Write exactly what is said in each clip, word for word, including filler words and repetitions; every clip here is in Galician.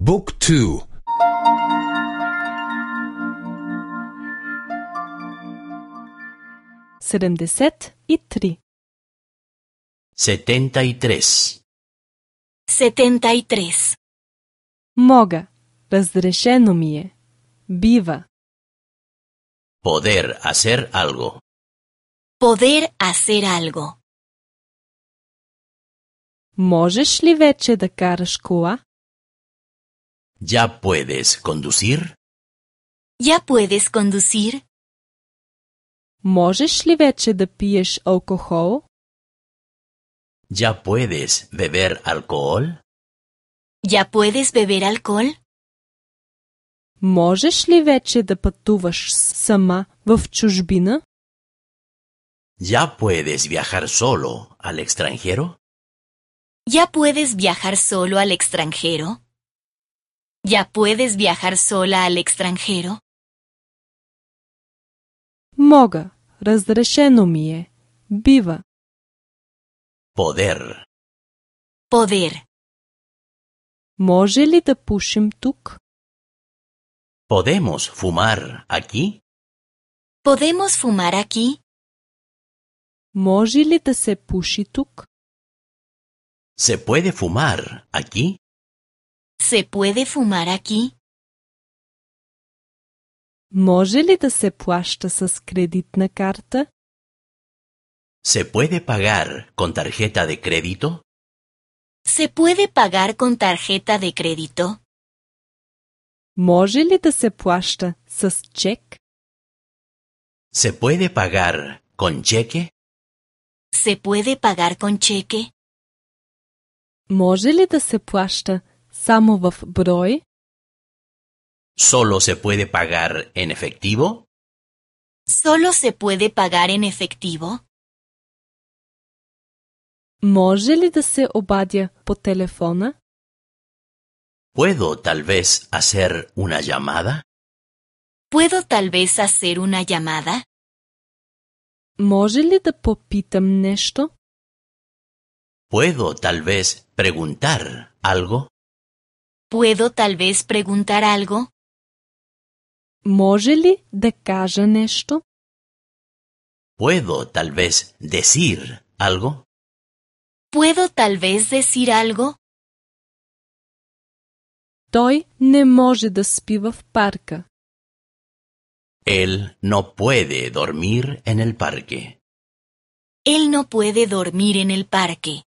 บุ๊กทูседемдесет и три. setenta y tres. setenta y tres. Мога. Разрешено ми е. Бива. Poder hacer algo. Poder hacer algo. Можеш ли вече да караш кола? ¿Ya puedes conducir? ¿Ya puedes conducir? Можеш ли вече да пиеш алкохол? ¿Ya puedes beber alcohol? ¿Ya puedes beber alcohol? Можеш ли вече да пътуваш сама в чужбина? ¿Ya puedes viajar solo al extranjero? ¿Ya puedes viajar solo al extranjero? ¿Ya puedes viajar sola al extranjero? Мога. Разрешено ми е. Бива. Poder. Poder. Може ли да пушим тук? ¿Podemos fumar aquí? ¿Podemos fumar aquí? Може ли да се пуши тук? ¿Se puede fumar aquí? ¿Se puede fumar aquí? Може ли да се плаща с кредитна карта? ¿Se puede pagar con tarjeta de crédito? ¿Se puede pagar con tarjeta de crédito? Може ли да се плаща с чек? ¿Se puede pagar con cheque? ¿Se puede pagar con cheque? Може ли да се плаща само в брой? ¿Solo se puede pagar en efectivo? ¿Solo se puede pagar en efectivo? Може ли да се обадя по телефона? ¿Puedo tal vez hacer una llamada? ¿Puedo tal vez hacer una llamada? Може ли да попитам нещо? ¿Puedo tal vez preguntar algo? ¿Puedo tal vez preguntar algo? Може ли да кажа нещо? ¿Puedo tal vez decir algo? ¿Puedo tal vez decir algo? Той не може да спи в парка. Él no puede dormir en el parque. Él no puede dormir en el parque.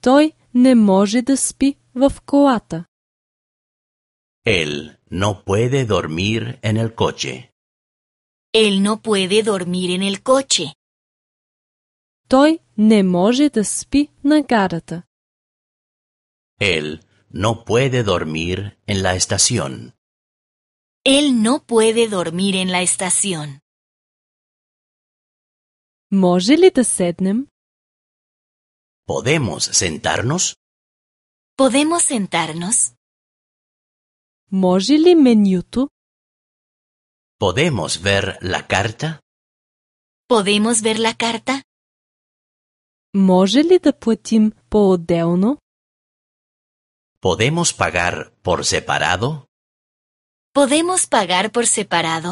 Той не може да спи в колата. Él no puede dormir en el coche. Él no puede dormir en el coche. Той не може да спи на гарата. Él no puede dormir en la estación. Él no puede dormir en la estación. Може ли да седнем? ¿Podemos sentarnos? ¿Podemos sentarnos? Може ли менюто? ¿Podemos ver la carta? ¿Podemos ver la carta? Може ли да платим по-отделно? ¿Podemos pagar por separado? ¿Podemos pagar por separado?